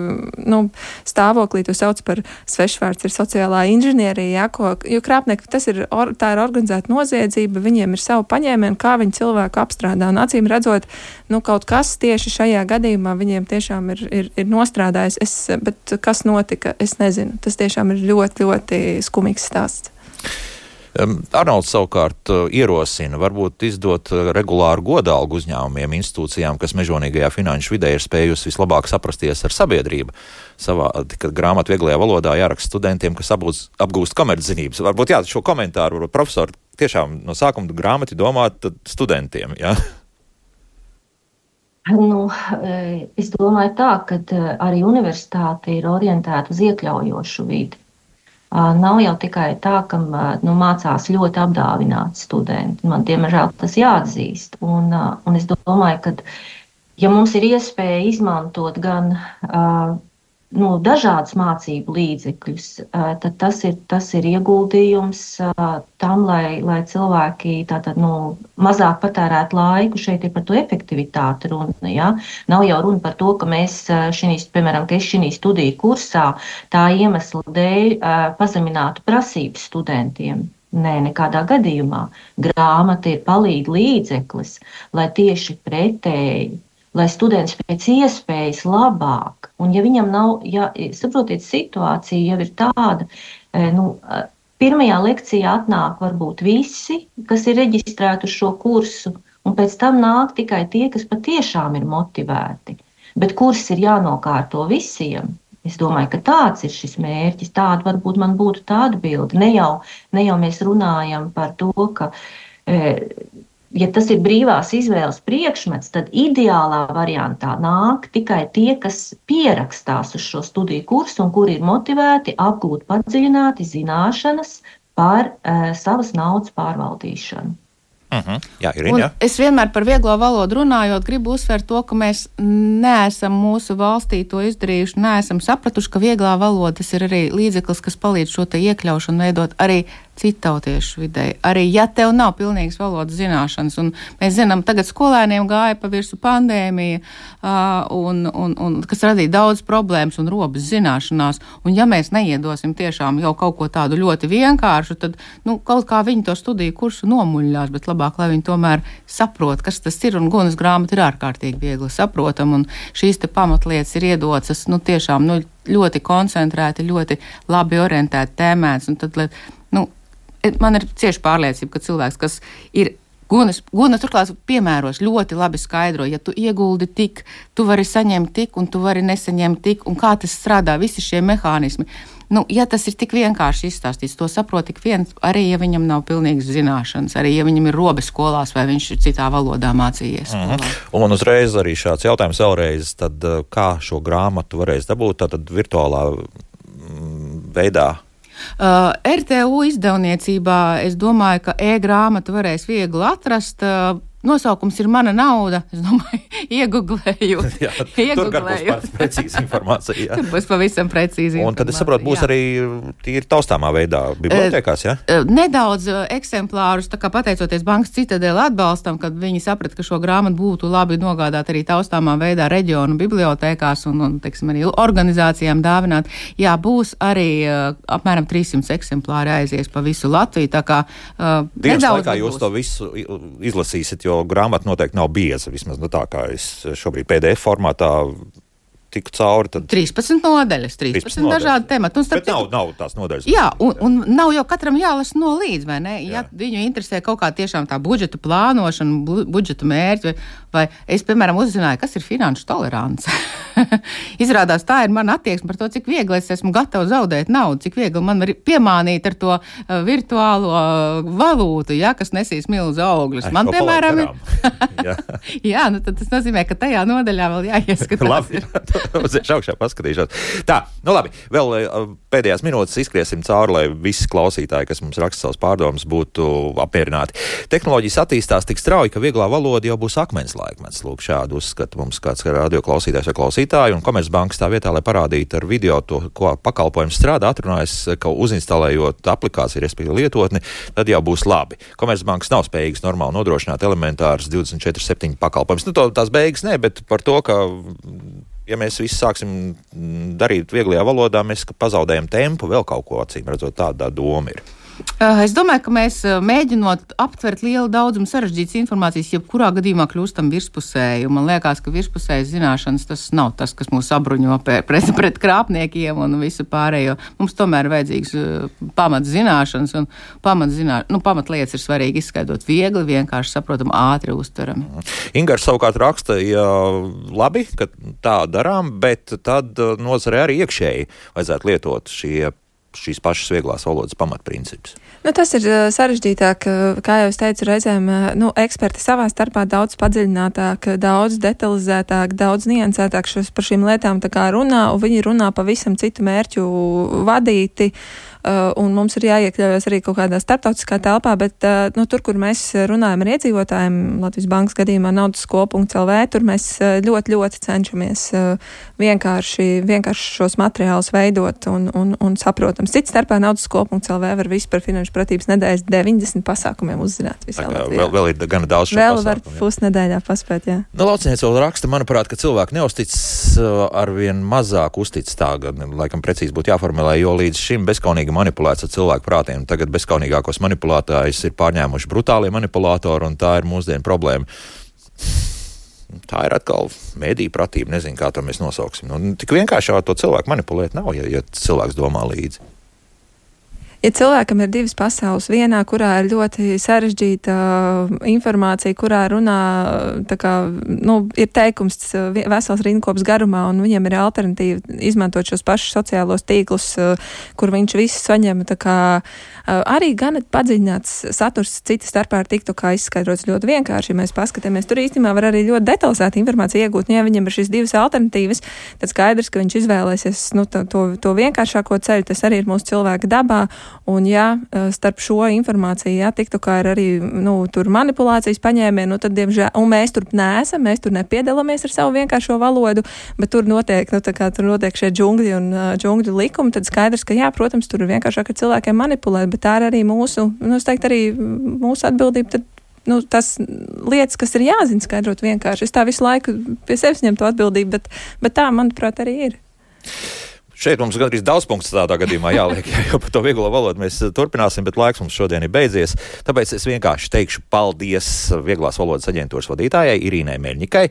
stāvoklī, to sauc par svešvārds, ir sociālā inženierija, jo krāpnieki, tā ir organizēta noziedzība, viņiem ir ir savu paņēmienu, kā viņi cilvēku apstrādā. Un acīm redzot, kaut kas tieši šajā gadījumā viņiem tiešām ir nostrādājis. Bet kas notika, es nezinu. Tas tiešām ir ļoti, ļoti skumīgs stāsts. Arnolds savukārt ierosina varbūt izdot regulāru godalgu uzņēmumiem, institūcijām, kas mežonīgajā finanšu vidē ir spējusi vislabāk saprasties ar sabiedrību. Kad grāmatu vieglajā valodā jāraksta studentiem, kas apgūst komerczinības. Varbūt šo komentāru profesori tiešām no sākuma grāmati domāt studentiem, jā? Es domāju tā, ka arī universitāte ir orientēta uz iekļaujošu vidi. Nav jau tikai tā, ka mācās ļoti apdāvināti studenti. Man, diemžēl, tas jāatzīst. Un es domāju, ka, ja mums ir iespēja izmantot gan dažādus mācību līdzekļus, tad tas ir ieguldījums tam, lai cilvēki mazāk patērētu laiku. Šeit ir par to efektivitāti runa. Ja? Nav jau runa par to, ka mēs piemēram, šī studiju kursā tā iemesla dēļ pazeminātu prasības studentiem. Nē, nekādā gadījumā. Grāmata ir palīdz līdzeklis, lai tieši pretēji, lai students pēc iespējas labāk, un ja viņam nav, saprotiet, situācija jau ir tāda, pirmajā lekcijā atnāk varbūt visi, kas ir reģistrēti uz šo kursu, un pēc tam nāk tikai tie, kas patiešām ir motivēti, bet kurs ir jānokārto visiem. Es domāju, ka tāds ir šis mērķis, tāda varbūt man būtu tāda bilde. Ne jau mēs runājam par to, ka ja tas ir brīvās izvēles priekšmets, tad ideālā variantā nāk tikai tie, kas pierakstās uz šo studiju kursu un kuri ir motivēti apgūt padziļināti zināšanas par savas naudas pārvaldīšanu. Jā, Irina, jā. Es vienmēr par vieglo valodu runājot, gribu uzsvērt to, ka mēs neesam mūsu valstī to izdarījuši, neesam sapratuši, ka vieglā valoda tas ir arī līdzeklis, kas palīdz šo te iekļaušanu veidot arī citautiešu videi. Arī ja tev nav pilnīgas valodas zināšanas, un mēs zinām, tagad skolēniem gāja pa virsu pandēmija, un kas radīja daudz problēmas un robas zināšanās, un ja mēs neiedosim tiešām jau kaut ko tādu ļoti vienkāršu, tad, kaut kā viņi to studiju kursu nomuļļās, bet labāk, lai viņi tomēr saprot, kas tas ir, un Gunas grāmata ir ārkārtīgi viegli saprotam, un šīs te pamatlietas ir iedotas, tiešām, ļoti koncentrēti, ļoti labi orientēti tēmēts, un tad, man ir cieši pārliecība, ka cilvēks, kas ir Gunas turklāt piemēros, ļoti labi skaidro, ja tu ieguldi tik, tu vari saņemt tik, un tu vari nesaņemt tik, un kā tas strādā, visi šie mehānismi. Ja tas ir tik vienkārši izstāstīts, to saprot tik viens, arī ja viņam nav pilnīgas zināšanas, arī ja viņam ir robe skolās vai viņš ir citā valodā mācījies. Un uzreiz arī šāds jautājums vēlreiz, tad kā šo grāmatu varēs dabūt, tātad virtuālā veidā? RTU izdevniecībā es domāju, ka e-grāmatu varēs viegli atrast. Nosaukums ir Mana nauda. Es domāju, ieguglēju. Tur būs precīzi informācija. Jā. Tur būs pavisam precīzi informācija. Un tad es saprotu, būs arī tīri taustāmā veidā bibliotēkās, jā? Nedaudz eksemplārus, tā kā pateicoties Bankas Citadele atbalstam, kad viņi saprat, ka šo grāmatu būtu labi nogādāt arī taustāmā veidā reģionu bibliotēkās un teiksim, arī organizācijām dāvināt. Jā, būs arī apmēram 300 eksemplāri aizies pa visu Latviju, tā kā dienas laikā jūs to visu izlasīsiet, jo grāmata noteikti nav bieza, vismaz tā kā es šobrīd PDF formātā tiku cauri. Tad 13 nodaļas, 13 dažādi temati. Bet nav tās nodaļas. Jā, un nav jau katram jālasa no līdz, vai ne? Ja viņu interesē kaut kā tiešām tā budžeta plānošana, budžeta mērķi, vai es, piemēram, uzzināju, kas ir finanšu tolerance. Izrādās, tā ir mana attieksme par to, cik viegli es esmu gatava zaudēt naudu, cik viegli man var piemānīt ar to virtuālo valūtu, kas nesīs milzu augļus. Man, piemēram, jā, tad tas nozīmē, ka tajā nodaļā vēl jāieskatās. Labi, uz augšā paskatīšos. Tā, labi, vēl pēdējās minūtes izskriesim cauri, lai visi klausītāji, kas mums raksta savus pārdomas, būtu apmierināti. Tehnoloģijas attīstās tik strauji, ka vieglā valoda jau būs akmens laikmets. Lūk, šādu uzskata mums kāds radio klausītājs vai klausītāji, un Komercbanka tā vietā, lai parādītu ar video to, ko pakalpojums strādā, atrunājas, ka uzinstalējot aplikāciju, respektīvi lietotni, tad jau būs labi. Komercbankas nav spējīgas normāli nodrošināt elementāras 24/7 pakalpojumus. Tās beigas ne, bet par to, ka ja mēs visi sāksim darīt vieglajā valodā, mēs pazaudējam tempu, vēl kaut ko acīm redzot, tāda doma ir. Es domāju, ka mēs mēģinot aptvert lielu daudzumu sarežģītas informācijas, jebkurā gadījumā kļūstam virspusēji. Man liekas, ka virspusējas zināšanas tas nav tas, kas mūs apbruņo pret krāpniekiem un visu pārējo. Mums tomēr ir vajadzīgs pamatzināšanas un pamatlietas ir svarīgi izskaidrot viegli, vienkārši saprotam, ātri uztverami. Ingars savukārt raksta, ja labi, ka tā darām, bet tad nozarē arī iekšēji vajadzētu lietot šīs pašas vieglās valodas pamatprincipus. Tas ir sarežģītāk, kā jau es teicu, reizēm eksperti savā starpā daudz padziļinātāk, daudz detalizētāk, daudz niansētāk par šīm lietām tā kā runā, un viņi runā pavisam citu mērķu vadīti, un mums ir jāiekļaujas arī kaut kādā starptautiskā telpā, bet tur, kur mēs runājam ar iedzīvotājiem, Latvijas Bankas gadījumā naudasko.lv, tur mēs ļoti, ļoti cenšamies vienkārši šos materiālus veidot un saprotams. Cits starpā naudasko.lv var visu par finanšu pratības nedēļas 90 pasākumiem uzzināt visā Latvijā. Vēl ir gana daudz šo pasākumu. Vēl var pusnedēļā paspēt, jā. Laucinieks vēl raksta, manuprāt, ka cilvēki neuztic arvien mazāk uztic tā, laikam precīzi būtu jāformulē, jo līdz šim bezkaunīgi manipulēts ar cilvēku prātiem. Tagad bezkaunīgākos manipulētājus ir pārņēmuši brutālie manipulātori, un tā ir mūsdienu problēma. Tā ir atkal mediju pratība, nezinu, kā to mēs nosauksim. Tik vienkārši ar to cilvēku manipulēt nav, ja cilvēks domā līdzi. Ja cilvēkam ir divas pasaules, vienā, kurā ir ļoti sarežģīta informācija, kurā runā, ir teikums vesels rindkops garumā, un viņiem ir alternatīva izmantot šos pašus sociālos tīklus, kur viņš visu saņem, arī gan padziļināts saturs cita starpā ar TikTokā izskaidrots ļoti vienkārši. Ja mēs paskatāmies, tur īstenībā var arī ļoti detalizēta informācija iegūt, un ja viņam ir šīs divas alternatīvas, tad skaidrs, ka viņš izvēlēsies to vienkāršāko ceļu, tas arī ir mūsu cilvēka dabā. Un starp šo informāciju, TikTokā ir arī, tur manipulācijas paņēmieni, tad, diemžēl, un mēs tur neesam, mēs tur nepiedalāmies ar savu vienkāršo valodu, bet tur notiek, tur notiek šie džungļi un džungļu likumi, tad skaidrs, ka, protams, tur ir vienkāršāk ar cilvēkiem manipulēt, bet tā ir arī mūsu, es teiktu, arī mūsu atbildība, tad tas lietas, kas ir jāzina skaidrot vienkārši. Es tā visu laiku pie sevis ņem to atbildību, bet tā, manuprāt, arī ir. Šeit mums gandrīz daudz punktus tādā gadījumā jāliek, jo par to vieglo valodu mēs turpināsim, bet laiks mums šodien ir beidzies. Tāpēc es vienkārši teikšu paldies Vieglās valodas aģentūras vadītājai Irīnai Meļņikai,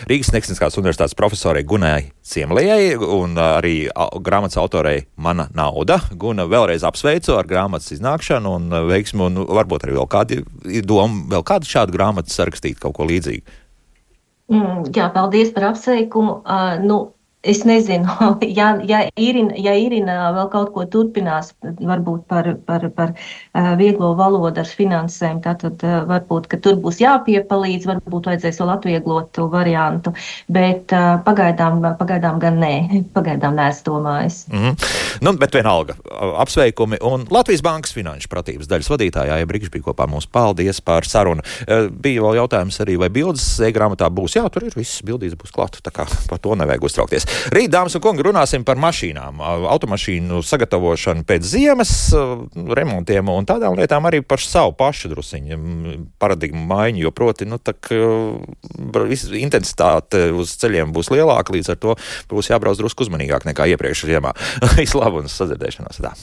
Rīgas Tehniskās universitātes profesorei Gunai Ciemlijai un arī grāmatas autorei Mana nauda. Guna, vēlreiz apsveicu ar grāmatas iznākšanu un veiksmu, un varbūt arī vēl kādu šādu grāmatu sarakstīt, kaut ko līdzīgu. Jā, paldies par apsveikumu. Es nezinu, ja Irina vēl kaut ko turpinās, varbūt par vieglo valodu ar finansēm, tad varbūt, ka tur būs jāpiepalīdz, varbūt vajadzēs vēl atvieglotu variantu, bet pagaidām gan nē, pagaidām neesmu domājis. Bet vienalga, apsveikumi un Latvijas Bankas finanšu pratības daļas vadītājā Brigžs bija kopā mums. Paldies par sarunu. Bija vēl jautājums arī, vai bildes e-grāmatā būs? Jā, tur ir viss, bildītes būs klāt, tā kā par to nevajag uztraukties. Rīt, dāmas un kungi, runāsim par mašīnām, automašīnu sagatavošanu pēc ziemas, remontiem un tādām lietām, arī par savu pašu drusiņu paradigmu maiņu, jo proti, intensitāte uz ceļiem būs lielāka, līdz ar to būs jābrauc drusku uzmanīgāk nekā iepriekš ziemā. Visu labu un sadzirdēšanos. Tā.